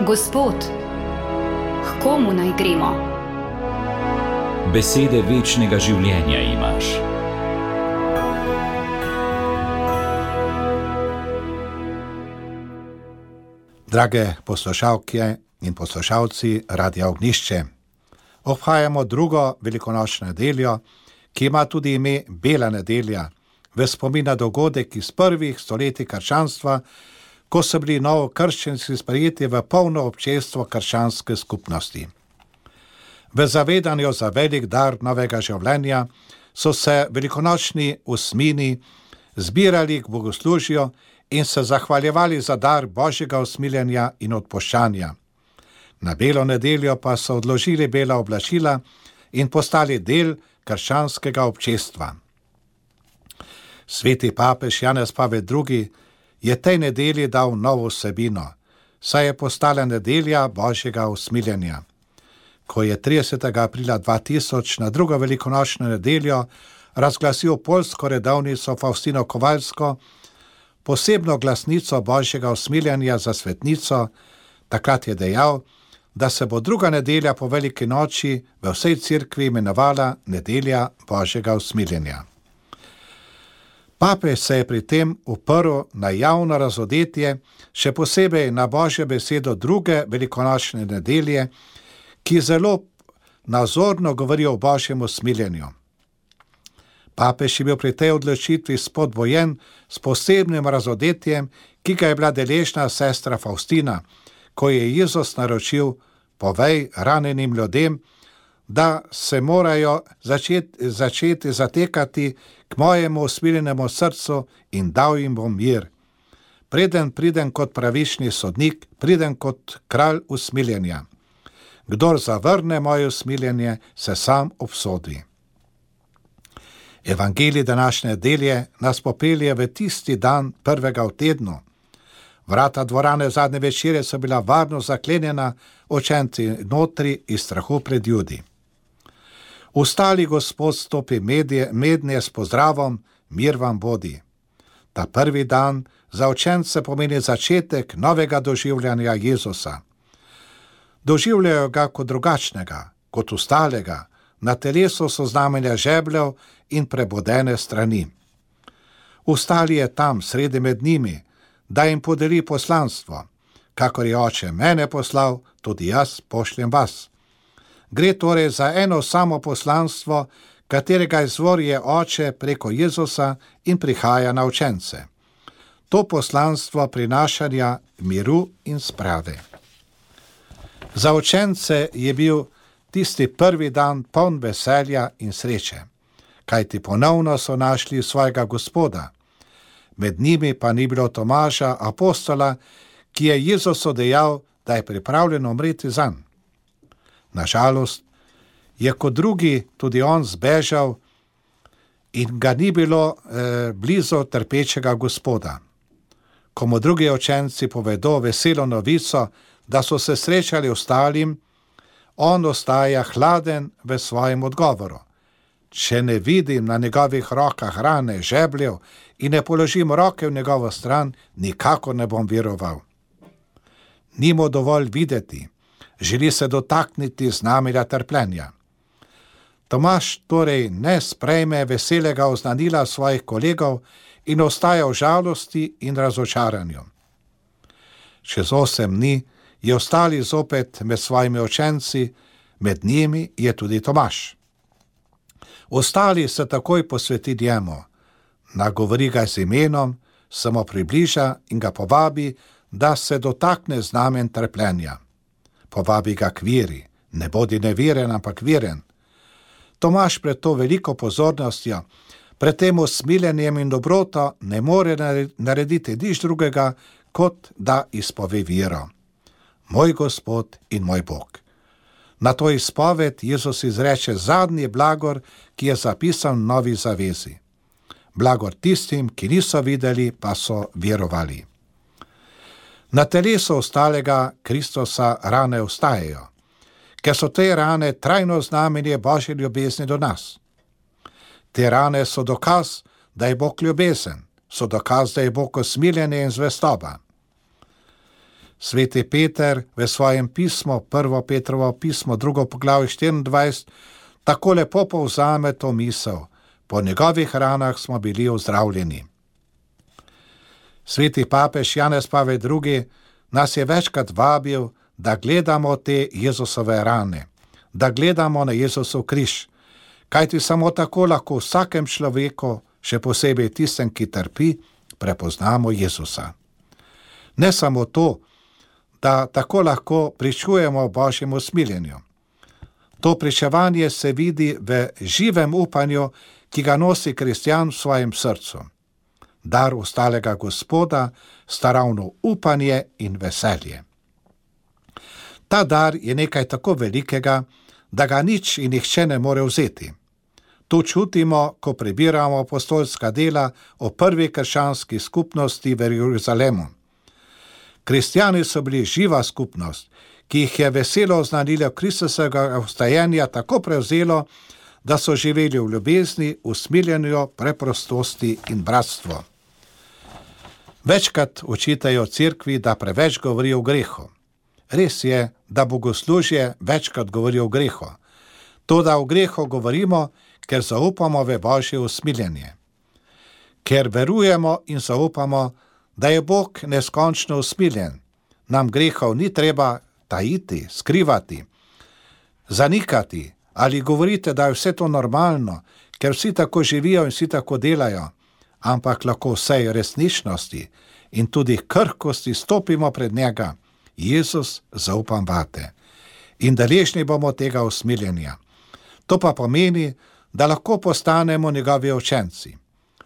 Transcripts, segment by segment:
Gospod, k komu naj gremo? Besede večnega življenja imaš. Drage poslušalke in poslušalci Radia Ognjišče, obhajamo drugo velikonočno nedeljo, ki ima tudi ime Bela nedelja, v spomin na dogodek iz prvih stoletij krščanstva, ko so bili novokrščenci sprejeti v polno občestvo krščanske skupnosti. V zavedanju za velik dar novega življenja so se velikonočni osmini zbirali k bogoslužju in se zahvaljevali za dar Božjega usmiljenja in odpuščanja. Na Belo nedeljo pa so odložili bela oblačila in postali del krščanskega občestva. Sveti papež Janez Pavel II. Je tej nedelji dal novo vsebino, saj je postala nedelja Božjega usmiljenja. Ko je 30. aprila 2000 na drugo velikonočno nedeljo razglasil poljsko redovnico Faustino Kovalsko, posebno glasnico Božjega usmiljenja za svetnico, takrat je dejal, da se bo druga nedelja po veliki noči v vsej cerkvi imenovala nedelja Božjega usmiljenja. Papež se je pri tem uprl na javno razodetje, še posebej na Božjo besedo druge velikonočne nedelje, ki zelo nazorno govori o Božjem usmiljenju. Papež je bil pri tej odločitvi spodbojen s posebnim razodetjem, ki ga je bila deležna sestra Faustina, ko je Jezus naročil: povej ranjenim ljudem, da se morajo začeti zatekati k mojemu usmiljenemu srcu in dal jim bom mir. Preden pridem kot pravični sodnik, pridem kot kralj usmiljenja. Kdor zavrne moje usmiljenje, se sam obsodi. Evangelij današnje nedelje nas popelje v tisti dan prvega v tednu. Vrata dvorane zadnje večere so bila varno zaklenjena, učenci notri iz strahu pred Judi. Ustali Gospod stopi mednje s pozdravom: mir vam bodi. Ta prvi dan za učence pomeni začetek novega doživljanja Jezusa. Doživljajo ga kot drugačnega, kot ustalega, na telesu so znamenja žebljev in prebodene strani. Ustali je tam, sredi med njimi, da jim podeli poslanstvo. Kakor je Oče mene poslal, tudi jaz pošljem vas. Gre torej za eno samo poslanstvo, katerega izvor je Oče preko Jezusa in prihaja na učence. To poslanstvo prinašanja miru in sprave. Za učence je bil tisti prvi dan poln veselja in sreče, kajti ponovno so našli svojega Gospoda. Med njimi pa ni bilo Tomaža, apostola, ki je Jezusu dejal, da je pripravljen umreti zanj. Nažalost je kot drugi tudi on zbežal in ga ni bilo blizu trpečega Gospoda. Ko mu drugi učenci povedo veselo novico, da so se srečali ostalim, on ostaja hladen v svojem odgovoru. Če ne vidim na njegovih rokah rane, žebljev in ne položim roke v njegovo stran, nikakor ne bom veroval. Ni mu dovolj videti, želi se dotakniti znamenja trpljenja. Tomaž torej ne sprejme veselega oznanila svojih kolegov in ostaja v žalosti in razočaranju. Čez 8 dni je ostali zopet med svojimi učenci, med njimi je tudi Tomaž. Ostali se takoj posveti njemu, nagovori ga z imenom, se mu približa in ga povabi, da se dotakne znamen trpljenja. Povabi ga k veri, ne bodi neveren, ampak veren. Tomaž pred to veliko pozornostjo, pred tem usmiljenjem in dobroto ne more narediti nič drugega, kot da izpove vero. Moj Gospod in moj Bog. Na to izpoved Jezus izreče zadnji blagor, ki je zapisan v Novi zavezi. Blagor tistim, ki niso videli, pa so verovali. Na telesu ostalega Kristusa rane ostajajo, ker so te rane trajno znamenje Božje ljubezni do nas. Te rane so dokaz, da je Bog ljubezen, so dokaz, da je Bog usmiljenje in zvestoba. Sveti Peter v svojem pismu, 1. Petrovo pismo, 2. poglavje 24, tako lepo povzame to misel: po njegovih ranah smo bili ozdravljeni. Sveti papež Janez Pavel II. Nas je večkrat vabil, da gledamo te Jezusove rane, da gledamo na Jezusov križ, kajti samo tako lahko vsakem človeku, še posebej tistem, ki trpi, prepoznamo Jezusa. Ne samo to, da tako lahko pričujemo Božjemu usmiljenju. To pričevanje se vidi v živem upanju, ki ga nosi kristjan v svojem srcu. Dar ostalega Gospoda sta ravno upanje in veselje. Ta dar je nekaj tako velikega, da ga nič in nihče ne more vzeti. To čutimo, ko prebiramo apostolska dela o prvi krščanski skupnosti v Jeruzalemu. Kristjani so bili živa skupnost, ki jih je veselo oznanilo Kristusovega vstajenja tako prevzelo, da so živeli v ljubezni, usmiljenju, preprostosti in bratstvu. Večkrat očitajo cerkvi, da preveč govori o grehu. Res je, da bogoslužje večkrat govori o grehu. Toda o grehu govorimo, ker zaupamo v Božje usmiljenje. Ker verujemo in zaupamo, da je Bog neskončno usmiljen, nam grehov ni treba tajiti, skrivati, zanikati ali govorite, da je vse to normalno, ker vsi tako živijo in vsi tako delajo, ampak lahko vsej resničnosti in tudi krhkosti stopimo pred njega: Jezus, zaupam vate. In deležni bomo tega usmiljenja. To pa pomeni, da lahko postanemo njegovi učenci.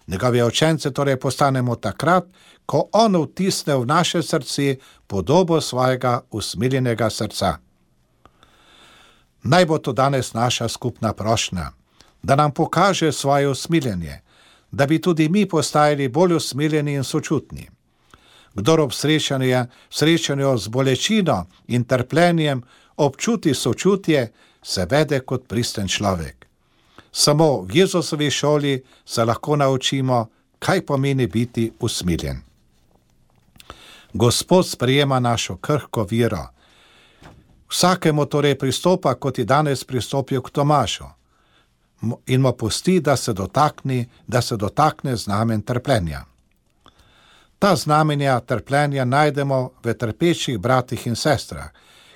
Njegovi učenci torej postanemo takrat, ko on vtisne v naše srce podobo svojega usmiljenega srca. Naj bo to danes naša skupna prošnja, da nam pokaže svoje usmiljenje, da bi tudi mi postajali bolj usmiljeni in sočutni. Kdor ob srečanju z bolečino in trpljenjem občuti sočutje, se vede kot pristen človek. Samo v Jezusovi šoli se lahko naučimo, kaj pomeni biti usmiljen. Gospod sprejema našo krhko vero. Vsakemu torej pristopa, kot je danes pristopil k Tomažu, in mu pusti, da se dotakne znamen trpljenja. Ta znamenja trpljenja najdemo v trpečih bratih in sestrah,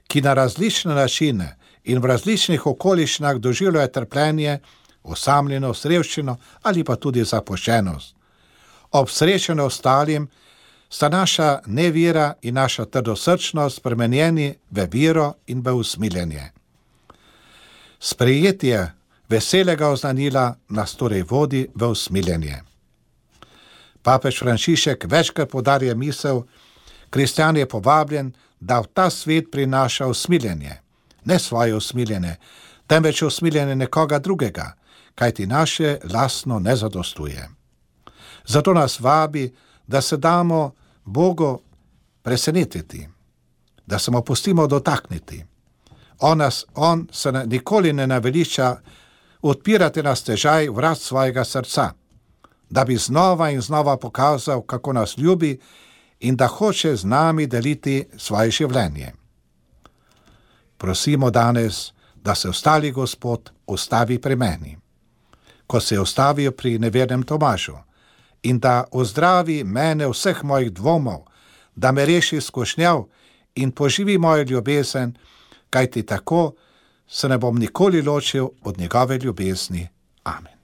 ki na različne načine in v različnih okoliščinah doživljajo trpljenje, osamljenost, revščino ali pa tudi zapuščenost. Ob srečanju ostalim sta naša nevera in naša trdosrčnost spremenjeni v vero in v usmiljenje. Sprejetje veselega oznanila nas torej vodi v usmiljenje. Papež Frančišek večkrat poudarja misel: kristjan je povabljen, da v ta svet prinaša usmiljenje, ne svoje usmiljenje, temveč usmiljenje nekoga drugega, kajti naše lastno ne zadostuje. Zato nas vabi, da se damo Bogu presenetiti, da se mu pustimo dotakniti. On se nikoli ne naveliča odpirati na stežaj vrat svojega srca, da bi znova in znova pokazal, kako nas ljubi in da hoče z nami deliti svoje življenje. Prosimo danes, da se ostali Gospod ustavi pri meni, ko se je ustavil pri nevernem Tomažu, in da ozdravi mene vseh mojih dvomov, da me reši skušnjav in poživi mojo ljubezen, kajti tako se ne bom nikoli ločil od njegove ljubezni. Amen.